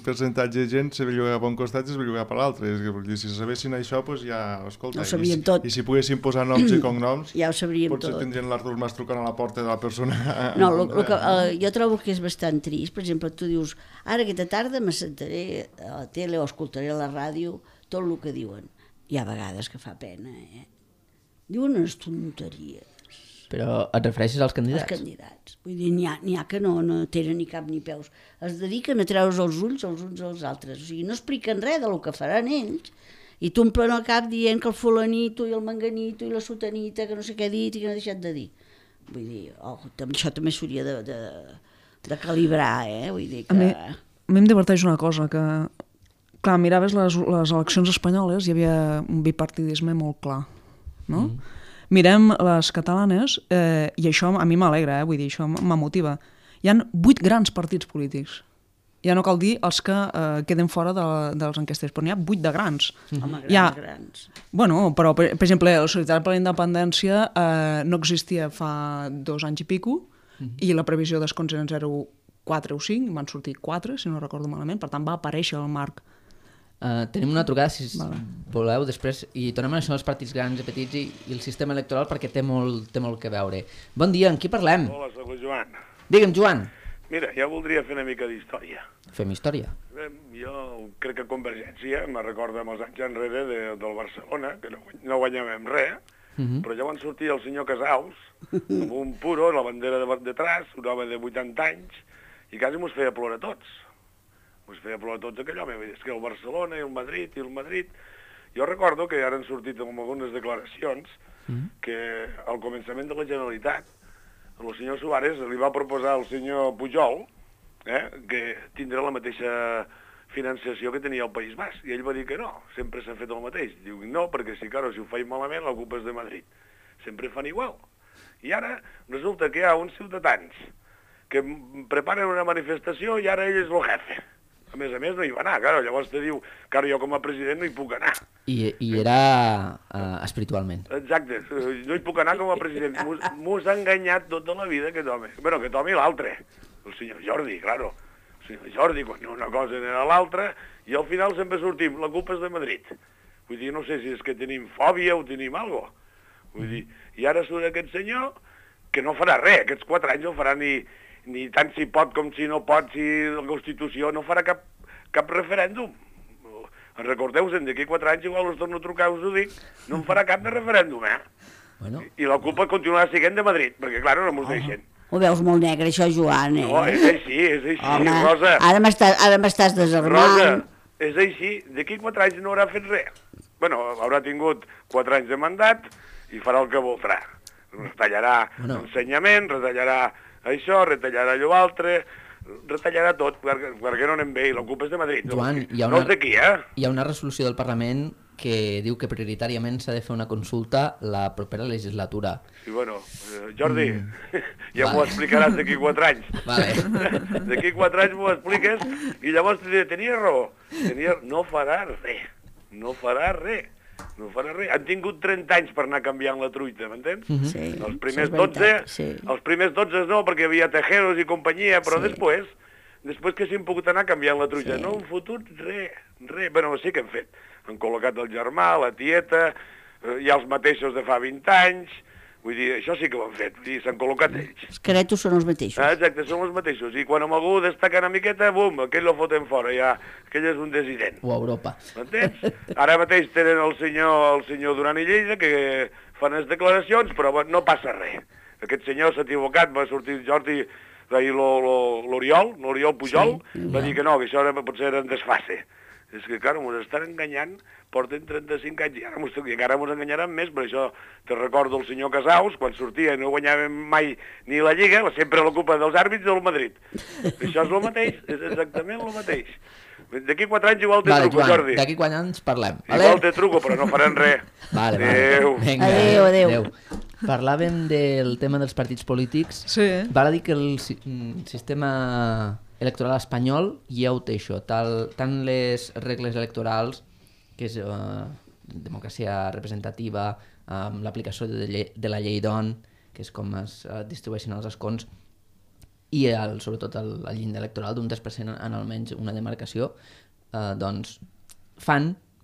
percentatge de gent se belluga cap a un costat i se belluga per l'altre. Si sabessin això, doncs ja, escolta, ho sabíem tot. I si poguessin posar noms i cognoms, ja ho sabríem potser tot. tindrien l'Artur Mas trucant a la porta de la persona. No, jo trobo que és bastant trist. Per exemple, tu dius, ara aquesta tarda m'assentaré a la tele o escoltaré a la ràdio tot el que diuen. Hi ha vegades que fa pena, Diuen unes tonteries. Però et refereixes als candidats? Els candidats. Vull dir, n'hi ha que no tenen ni cap ni peus. Es dediquen a treure's els ulls els uns als altres. O sigui, no expliquen res del que faran ells i t'omplen el cap dient que el fulanito i el manganito i la sotanita, que no sé què ha dit i que no ha deixat de dir. Vull dir, això també s'hauria de calibrar, Vull dir que... A mi em diverteix una cosa, que clar, miraves les eleccions espanyoles, hi havia un bipartidisme molt clar, no? Mirem les catalanes, i això a mi m'alegra, vull dir, això m'emotiva. Hi ha 8 grans partits polítics. Ja no cal dir els que queden fora de les enquestes, però n'hi ha 8 de grans. Home, grans. Bueno, però, per exemple, la Solidaritat per la Independència no existia fa 2 anys i pico, i la previsió d'escons eren 0,4 o 5, van sortir 4, si no recordo malament, per tant va aparèixer el marc. Tenim una trucada, si voleu, després, i tornem a això dels partits grans i petits i el sistema electoral, perquè té molt que veure. Bon dia, amb qui parlem? Hola, soc el Joan. Digue'm, Joan. Mira, jo voldria fer una mica d'història. Fem història. Jo crec que Convergència me recorda amb els anys enrere del Barcelona, que no guanyàvem res, però ja van sortir el senyor Casals, amb un puro, la bandera detrás, un home de 80 anys, i quasi mos feia plorar tots. Mos feia plorar tots aquell home. És que el Barcelona i el Madrid... Jo recordo que ara han sortit amb algunes declaracions que al començament de la Generalitat el senyor Suárez li va proposar al senyor Pujol que tindrà la mateixa financiació que tenia el País Basc. I ell va dir que no, sempre s'ha fet el mateix. Diu, no, perquè si ho faig malament, la culpa és de Madrid. Sempre fan igual. I ara resulta que hi ha uns ciutadans que preparen una manifestació i ara ell és el jefe. A més, no hi va anar, claro. Llavors te diu que ara jo com a president no hi puc anar. I era espiritualment. Exacte, no hi puc anar com a president. Mos ha enganyat tota la vida aquest home. Bueno, aquest home i l'altre, el senyor Jordi, claro. El senyor Jordi, quan una cosa era l'altra, i al final sempre sortim, la culpa és de Madrid. Vull dir, no sé si és que tenim fòbia o tenim alguna cosa. Vull dir, i ara surt aquest senyor que no farà res, aquests 4 anys no farà ni tant si pot com si no pot, si la Constitució no farà cap referèndum. Recordeu-se'n, d'aquí 4 anys igual us torno a trucar, us ho dic, no en farà cap de referèndum, Bueno. I la culpa continuarà sent de Madrid, perquè, clar, no mos deixen. Ho veus molt negre, això, Joan, No, és així, Home, Rosa. Ara m'estàs desarmant. Rosa, és així, d'aquí 4 anys no haurà fet res. Bueno, haurà tingut 4 anys de mandat i farà el que voldrà. Retallarà ensenyament, retallarà això, retallarà allò altre, retallarà tot, perquè no anem bé, i la culpa és de Madrid. Joan, no és d'aquí, Hi ha una resolució del Parlament que diu que prioritàriament s'ha de fer una consulta la propera legislatura. Sí, bueno, Jordi, ja m'ho explicaràs d'aquí 4 anys. Vale. D'aquí 4 anys m'ho expliques i llavors te diré, tenia raó. No farà res. No farà res. Han tingut 30 anys per anar canviant la truita, m'entens? Sí, els primers 12 no, perquè hi havia Tejeros i companyia, però després que s'han pogut anar canviant la truita. No han fotut res. Bueno, sí que han fet. Han col·locat el germà, la tieta, hi ha els mateixos de fa 20 anys, Vull dir, això sí que ho han fet, vull dir, s'han col·locat ells. Els caretos són els mateixos. Exacte, són els mateixos. I quan amb algú destaca una miqueta, bum, aquell lo foten fora, ja, aquell és un desident. O a Europa. M'entens? Ara mateix tenen el senyor Duran i Lleida, que fan les declaracions, però no passa res. Aquest senyor s'ha equivocat, va sortir Jordi, l'Oriol Pujol, va dir que no, que això potser era un desfase. És que, clar, ens estan enganyant, porten 35 anys, i encara ens enganyaran més, per això te recordo el senyor Casaus, quan sortia i no guanyàvem mai ni la Lliga, sempre la culpa dels àrbits del Madrid. Això és el mateix, és exactament el mateix. D'aquí 4 anys igual te truco, Joan, Jordi. D'aquí 4 anys parlem. Igual te truco, però no faran res. Adéu. Adéu. Parlàvem del tema dels partits polítics. Sí. Val a dir que el sistema electoral espanyol ja ho té això, tant les regles electorals, que és democràcia representativa, l'aplicació de la llei d'ON, que és com es distribueixen els escons, i sobretot el llindar electoral d'un 3% en almenys una demarcació, doncs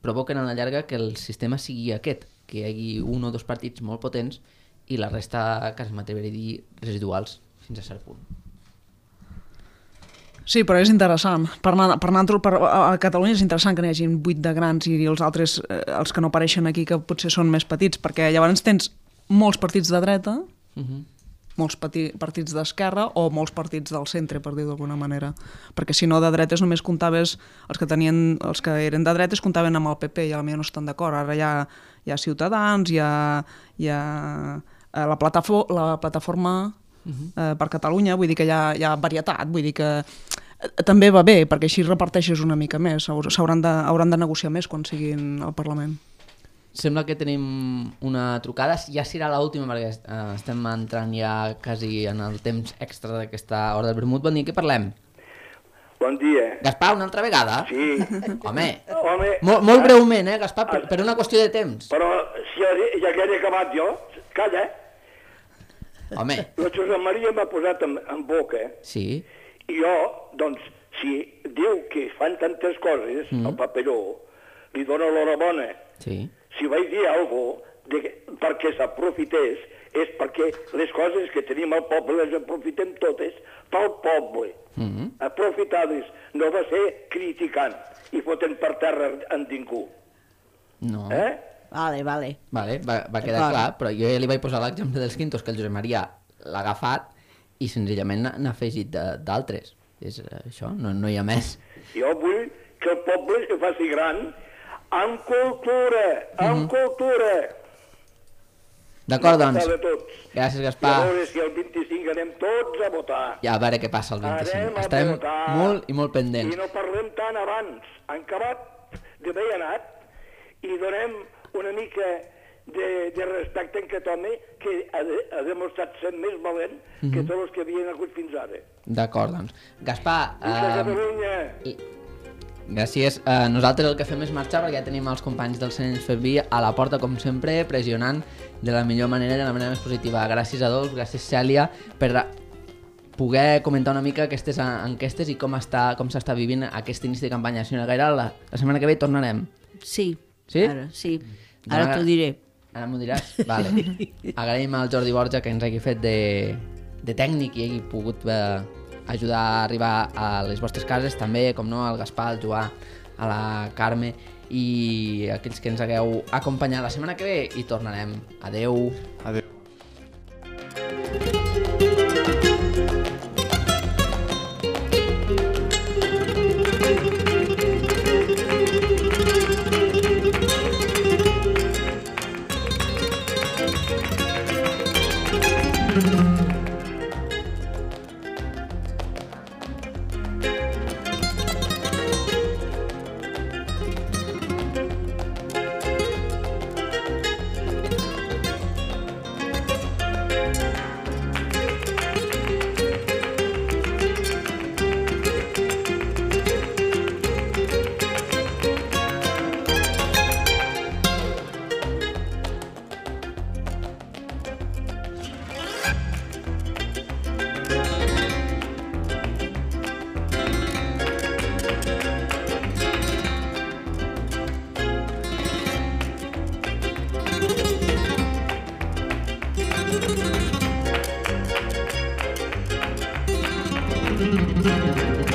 provoquen a la llarga que el sistema sigui aquest, que hi hagi 1 o 2 partits molt potents i la resta, quasi m'atreviré a dir, residuals, fins a cert punt. Sí, però és interessant. A Catalunya és interessant que n'hi hagi 8 de grans i els altres, els que no apareixen aquí, que potser són més petits, perquè llavors tens molts partits de dreta, molts partits d'esquerra o molts partits del centre, per dir d'alguna manera. Perquè si no, de dretes només comptaves, els que eren de dretes comptaven amb el PP i potser no estan d'acord. Ara hi ha Ciutadans, hi ha la plataforma per Catalunya, vull dir que hi ha varietat, vull dir que també va bé, perquè així reparteixes una mica més, hauran de negociar més quan siguin al Parlament. Sembla que tenim una trucada, ja serà l'última perquè estem entrant ja quasi en el temps extra d'aquesta hora del vermut. Bon dia, què parlem? Bon dia. Gaspar, una altra vegada? Sí. Home, molt breument, Gaspar, per una qüestió de temps. Però si ja que he acabat jo, calla. Home. La Josep Maria m'ha posat en boca. Sí. I jo, doncs, si diu que fan tantes coses, el paperó, li dona l'horabona. Sí. Si vaig dir alguna cosa perquè s'aprofités, és perquè les coses que tenim al poble les aprofitem totes pel poble. Aprofitades, no va ser criticant i fotent per terra en ningú. No. Vale. Va quedar clar, però jo ja li vaig posar l'exemple dels quintos, que el Josep Maria l'ha agafat i senzillament n'ha afegit d'altres. És això, no hi ha més. Jo vull que el poble es faci gran amb cultura, D'acord, doncs. Gràcies, Gaspar. I a veure si el 25 anem tots a votar. Ja, a veure què passa el 25. Estarem molt i molt pendents. I no parlem tant abans. Han acabat d'haver anat i donem una mica de respecte en aquest home que ha demostrat ser més valent que tots els que havien hagut fins ara. D'acord, doncs. Gaspar... Catalunya! Gràcies. Nosaltres el que fem és marxar perquè ja tenim els companys del Sense Ferví a la porta, com sempre, pressionant de la millor manera i de la manera més positiva. Gràcies a Dolç, gràcies Cèlia, per poder comentar una mica aquestes enquestes i com s'està vivint aquest inici de campanya. Senyora Gaira, la setmana que ve tornarem. Sí. Sí? Ara, sí. Ara t'ho diré. Ara m'ho diràs? Vale. Agraïm al Jordi Borja que ens hagi fet de tècnic i hagi pogut ajudar a arribar a les vostres cases, també, com no, al Gaspar, al Joà, a la Carme i aquells que ens hagueu acompanyat. La setmana que ve hi tornarem. Adeu. Adeu. Adéu.